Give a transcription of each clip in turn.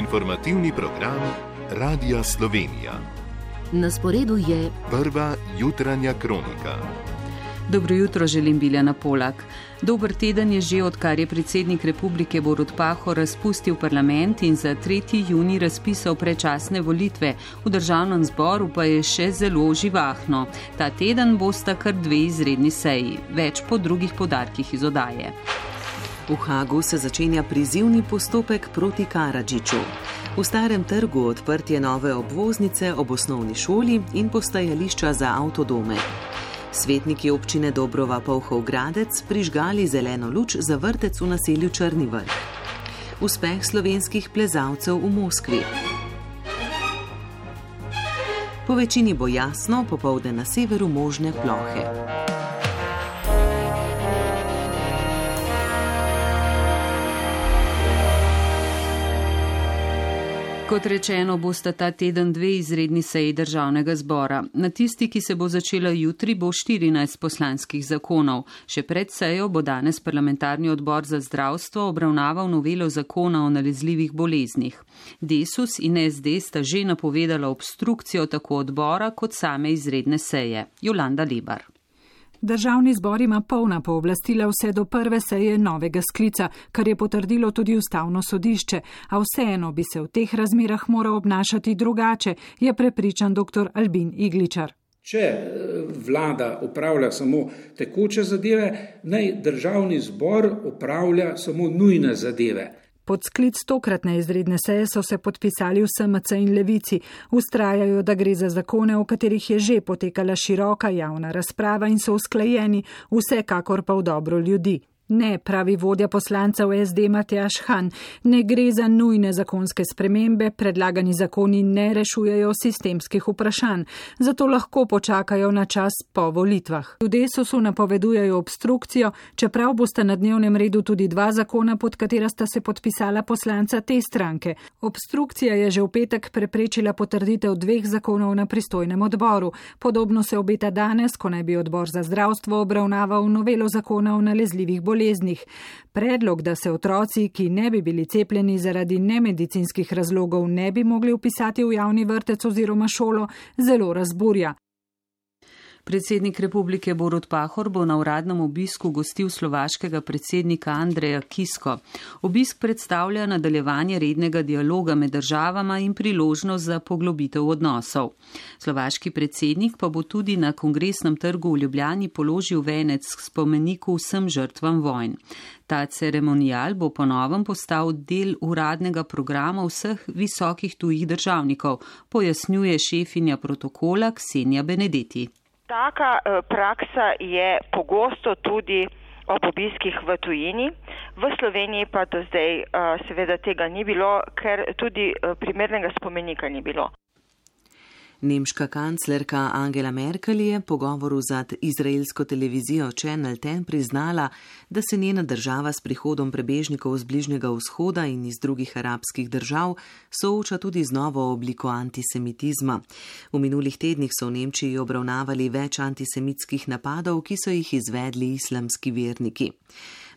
Informativni program Radia Slovenija. Na sporedu je prva jutranja kronika. Dobro jutro, želim Biljana Polak. Dober teden je že, odkar je predsednik republike Borut Pahor razpustil parlament in za 3. junij razpisal predčasne volitve. V državnem zboru pa je še zelo živahno. Ta teden bosta kar 2 izredni seji. Več po drugih podarkih iz oddaje. V Hagu se začenja prizivni postopek proti Karadžiću. V Starem trgu odprtje nove obvoznice ob osnovni šoli in postajališča za avtodome. Svetniki občine Dobrova Polhov Gradec prižgali zeleno luč za vrtec v naselju Črni vrh. Uspeh slovenskih plezalcev v Moskvi. Po večini bo jasno, popoldne na severu možne plohe. Kot rečeno, bosta ta teden 2 izredni seji državnega zbora. Na tisti, ki se bo začela jutri, bo 14 poslanskih zakonov. Še pred sejo bo danes parlamentarni odbor za zdravstvo obravnaval novelo zakona o nalezljivih boleznih. Desus in SD sta že napovedala obstrukcijo tako odbora kot same izredne seje. Jolanda Lebar. Državni zbor ima polna pooblastila vse do prve seje novega sklica, kar je potrdilo tudi ustavno sodišče, a vseeno bi se v teh razmerah moral obnašati drugače, je prepričan dr. Albin Igličar. Če vlada upravlja samo tekoče zadeve, naj državni zbor upravlja samo nujne zadeve. Pod sklic tokratne izredne seje so se podpisali v SMC in Levici. Vztrajajo, da gre za zakone, o katerih je že potekala široka javna razprava in so usklajeni, vsekakor pa v dobro ljudi. Ne, pravi vodja poslancev SD Matjaž Han, ne gre za nujne zakonske spremembe, predlagani zakoni ne rešujejo sistemskih vprašanj, zato lahko počakajo na čas po volitvah. V Desusu napovedujejo obstrukcijo, čeprav bosta na dnevnem redu tudi 2 zakona, pod katera sta se podpisala poslanca te stranke. Obstrukcija je že v petek preprečila potrditev 2 zakonov na pristojnem odboru. Podobno se obeta danes, ko naj bi odbor za zdravstvo obravnaval novelo zakona o nalezljivih boleznih. Predlog, da se otroci, ki ne bi bili cepljeni zaradi nemedicinskih razlogov, ne bi mogli vpisati v javni vrtec oziroma šolo, zelo razburja. Predsednik republike Borut Pahor bo na uradnem obisku gostil slovaškega predsednika Andreja Kisko. Obisk predstavlja nadaljevanje rednega dialoga med državama in priložnost za poglobitev odnosov. Slovaški predsednik pa bo tudi na Kongresnem trgu v Ljubljani položil venec k spomeniku vsem žrtvam vojn. Ta ceremonijal bo po novem postal del uradnega programa vseh visokih tujih državnikov, pojasnjuje šefinja protokola Ksenija Benedetti. Taka praksa je pogosto tudi ob obiskih v tujini. V Sloveniji pa do zdaj seveda tega ni bilo, ker tudi primernega spomenika ni bilo. Nemška kanclerka Angela Merkel je po govoru z izraelsko televizijo Channel 10 priznala, da se njena država s prihodom prebežnikov z Bližnjega vzhoda in iz drugih arabskih držav sooča tudi z novo obliko antisemitizma. V minulih tednih so v Nemčiji obravnavali več antisemitskih napadov, ki so jih izvedli islamski verniki.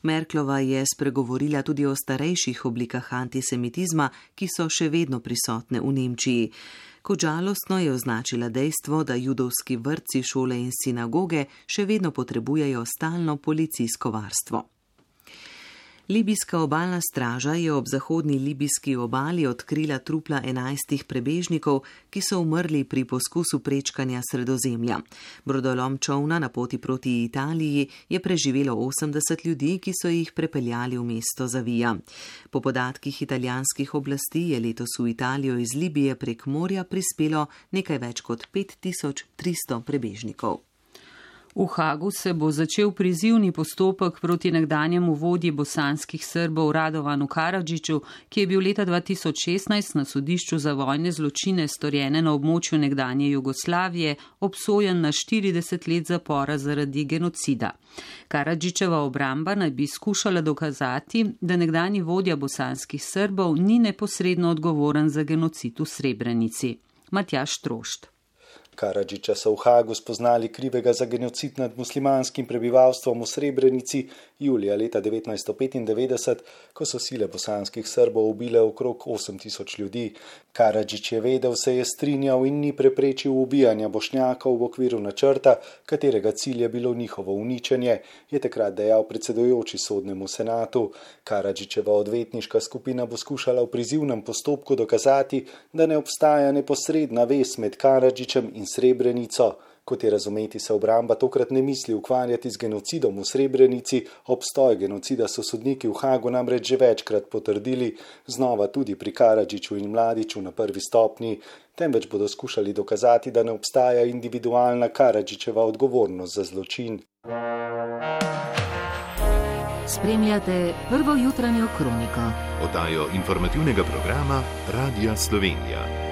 Merklova je spregovorila tudi o starejših oblikah antisemitizma, ki so še vedno prisotne v Nemčiji. Kot žalostno je označila dejstvo, da judovski vrtci, šole in sinagoge še vedno potrebujejo stalno policijsko varstvo. Libijska obalna straža je ob zahodni libijski obali odkrila trupla 11 prebežnikov, ki so umrli pri poskusu prečkanja Sredozemlja. Brodolom čovna na poti proti Italiji je preživelo 80 ljudi, ki so jih prepeljali v mesto Zavija. Po podatkih italijanskih oblasti je letos v Italijo iz Libije prek morja prispelo nekaj več kot 5300 prebežnikov. V Hagu se bo začel prizivni postopek proti nekdanjemu vodji bosanskih Srbov Radovanu Karadžiću, ki je bil leta 2016 na sodišču za vojne zločine storjene na območju nekdanje Jugoslavije obsojen na 40 let zapora zaradi genocida. Karadžićeva obramba naj bi skušala dokazati, da nekdanji vodja bosanskih Srbov ni neposredno odgovoren za genocid v Srebrenici. Matjaž Trošt. Karadžića so v Hagu spoznali krivega za genocid nad muslimanskim prebivalstvom v Srebrenici julija leta 1995, ko so sile bosanskih Srbov ubile okrog 8000 ljudi. Karadžić je vedel, se je strinjal in ni preprečil ubijanja Bošnjakov v okviru načrta, katerega cilj je bilo njihovo uničenje, je takrat dejal predsedujoči sodnemu senatu. Karadžićeva odvetniška skupina bo skušala v prizivnem postopku dokazati, da ne obstaja neposredna vez med Karadžićem in Srebrenico. Kot je razumeti, se obramba tokrat ne misli ukvarjati z genocidom v Srebrenici, obstoj genocida so sodniki v Hagu namreč že večkrat potrdili, znova tudi pri Karadžiću in Mladiću na prvi stopnji, temveč bodo skušali dokazati, da ne obstaja individualna Karadžićeva odgovornost za zločin. Spremljate prvo jutranjo kroniko. Oddajo informativnega programa Radia Slovenija.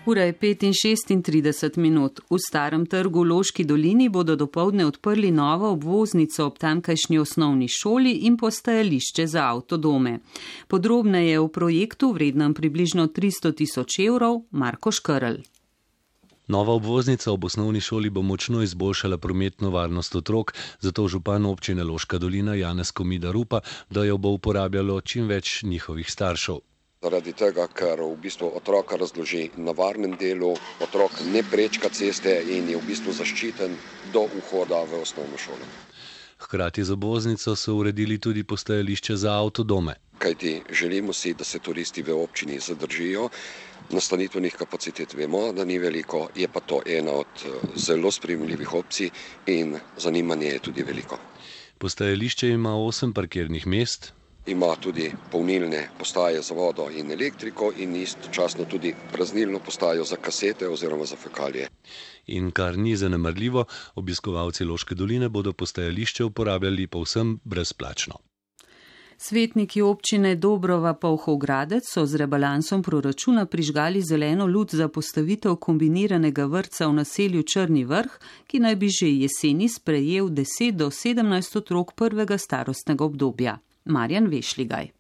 Ura je 5:36. V Starem trgu v Loški dolini bodo dopoldne odprli novo obvoznico ob tamkajšnji osnovni šoli in postajališče za avtodome. Podrobneje o projektu, vrednem približno 300 000 evrov, Marko Škrl. Nova obvoznica ob osnovni šoli bo močno izboljšala prometno varnost otrok, zato župan občine Loška dolina Janez Komida upa, da jo bo uporabljalo čim več njihovih staršev. Zaradi tega, ker v bistvu otroka razloži na varnem delu, otrok ne prečka ceste in je v bistvu zaščiten do vhoda v osnovno šolo. Hkrati z obvoznico so uredili tudi postajališče za avtodome. Kajti želimo si, da se turisti v občini zadržijo. Nastanitvenih kapacitet vemo, da ni veliko, je pa to ena od zelo sprejemljivih opcij in zanimanje je tudi veliko. Postajališče ima 8 parkirnih mest. Ima tudi polnilne postaje za vodo in elektriko in istočasno tudi praznilno postajo za kasete oziroma za fekalije. In kar ni zanemarljivo, obiskovalci Loške doline bodo postajališče uporabljali povsem brezplačno. Svetniki občine Dobrova-Polhov-Gradec so z rebalansom proračuna prižgali zeleno luč za postavitev kombiniranega vrtca v naselju Črni vrh, ki naj bi že jeseni sprejel 10 do 17 otrok prvega starostnega obdobja. Marjan Vešligaj.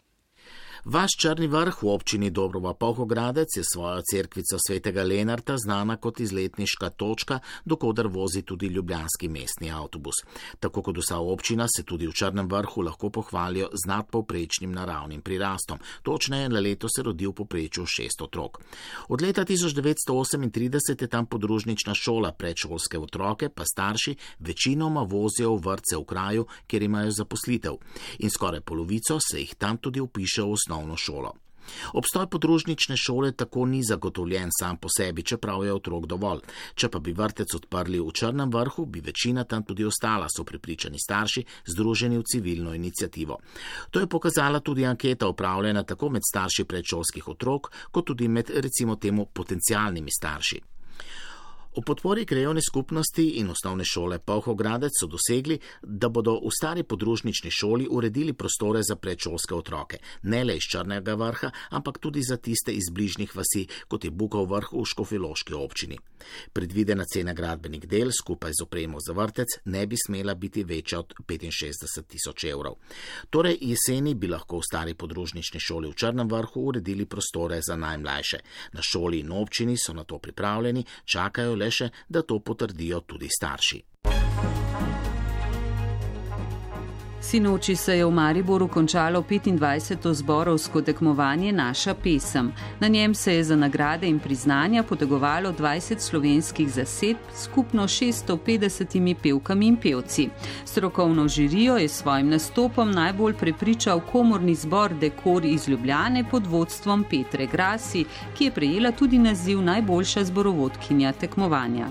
Vaš Črni vrh v občini Dobrova-Polhov-Gradec je svojo cerkvico svetega Lenarta znana kot izletniška točka, dokoder vozi tudi ljubljanski mestni avtobus. Tako kot vsa občina se tudi v Črnem vrhu lahko pohvalijo z nadpovprečnim naravnim prirastom. Točneje, na leto se rodi v povprečju 6 otrok. Od leta 1938 je tam podružnična šola, predšolske otroke pa starši večinoma vozijo v vrtce v kraju, kjer imajo zaposlitev. In skoraj polovico se jih tam tudi upiše v osnovno šolo. Obstoj podružnične šole tako ni zagotovljen sam po sebi, čeprav je otrok dovolj. Če pa bi vrtec odprli v Črnem vrhu, bi večina tam tudi ostala, so prepričani starši, združeni v civilno iniciativo. To je pokazala tudi anketa opravljena tako med starši predšolskih otrok, kot tudi med recimo temu potencialnimi starši. O podpori krajevne skupnosti in osnovne šole Polhov-Gradec so dosegli, da bodo v stari podružnični šoli uredili prostore za predšolske otroke, ne le iz Črnega vrha, ampak tudi za tiste iz bližnjih vasi, kot je Bukov vrh v Škofjeloški občini. Predvidena cena gradbenih del skupaj z opremo za vrtec ne bi smela biti večja od 65 000 evrov. Torej jeseni bi lahko v stari podružnični šoli v Črnem vrhu uredili prostore za najmlajše. Na šoli in občini so na to pripravljeni, čakajo le še, da to potrdijo tudi starši. Sinoči se je v Mariboru končalo 25. zborovsko tekmovanje Naša pesem. Na njem se je za nagrade in priznanja potegovalo 20 slovenskih zasedb, skupno 650 pevkami in pevci. Strokovno žirijo je s svojim nastopom najbolj prepričal komorni zbor Dekor iz Ljubljane pod vodstvom Petre Grasi, ki je prejela tudi naziv najboljša zborovodkinja tekmovanja.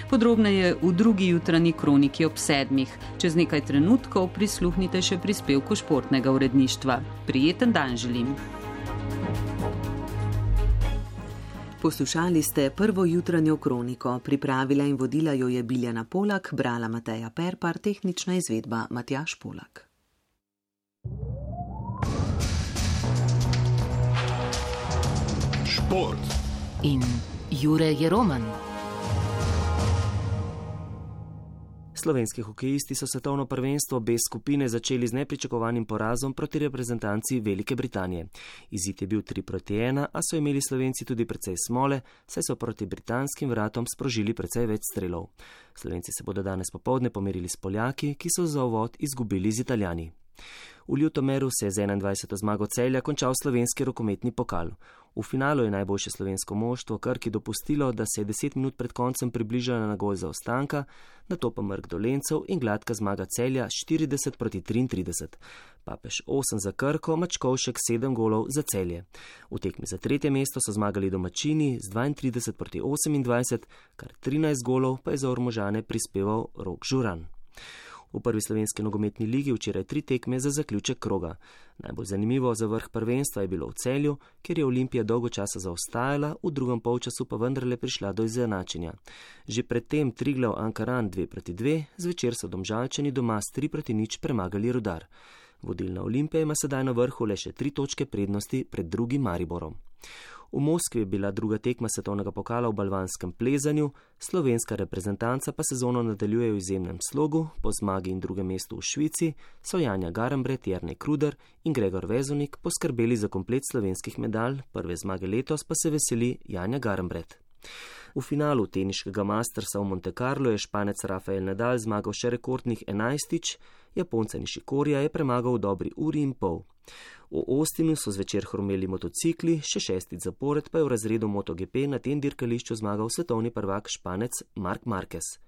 Podrobneje v drugi jutranji kroniki ob 7. Čez nekaj trenutkov prisluhnite še prispevku športnega uredništva. Prijeten dan želim. Poslušali ste prvo jutranjo kroniko. Pripravila in vodila jo je Biljana Polak, brala Mateja Perpar, tehnična izvedba Matjaž Polak. Šport in Jure Jeroman. Slovenski hokejisti so svetovno prvenstvo B skupine začeli z nepričakovanim porazom proti reprezentanci Velike Britanije. Izid je bil 3-1, a so imeli Slovenci tudi precej smole, saj so proti britanskim vratom sprožili precej več strelov. Slovenci se bodo danes popoldne pomerili s Poljaki, ki so za uvod izgubili z Italijani. V Ljutomeru se je z 21. zmago Celja končal slovenski rokometni pokal. V finalu je najboljše slovensko moštvo Krki dopustilo, da se je 10 minut pred koncem približala na gol zaostanka, nato pa mrk Dolencev in gladka zmaga Celja 40-33. Papež 8 za Krko, Mačkovšek 7 golov za Celje. V tekmi za tretje mesto so zmagali domačini z 32-28, kar 13 golov pa je za Ormožane prispeval Rok Žuran. V prvi slovenski nogometni ligi včeraj 3 tekme za zaključek kroga. Najbolj zanimivo za vrh prvenstva je bilo v Celju, kjer je Olimpija dolgo časa zaostajala, v drugem polčasu pa vendarle prišla do izenačenja. Že predtem Triglav Ankaran 2-2, zvečer so Domžalčani doma s 3-0 premagali Rudar. Vodilna Olimpija ima sedaj na vrhu le še 3 točke prednosti pred drugim Mariborom. V Moskvi je bila druga tekma svetovnega pokala v balvanskem plezanju, slovenska reprezentanca pa sezono nadaljuje v izjemnem slogu, po zmagi in drugem mestu v Švici so Janja Garambret, Jernej Kruder in Gregor Vezonik poskrbeli za komplet slovenskih medalj, prve zmage letos pa se veseli Janja Garambret. V finalu teniškega Mastersa v Monte Carlo je Španec Rafael Nadal zmagal še rekordnih 11-tič, Japonca Nishikorija je premagal v dobri uri in pol. V Austinu so zvečer hrumeli motocikli, še 6. zapored pa je v razredu MotoGP na tem dirkališču zmagal svetovni prvak Španec Marc Marquez.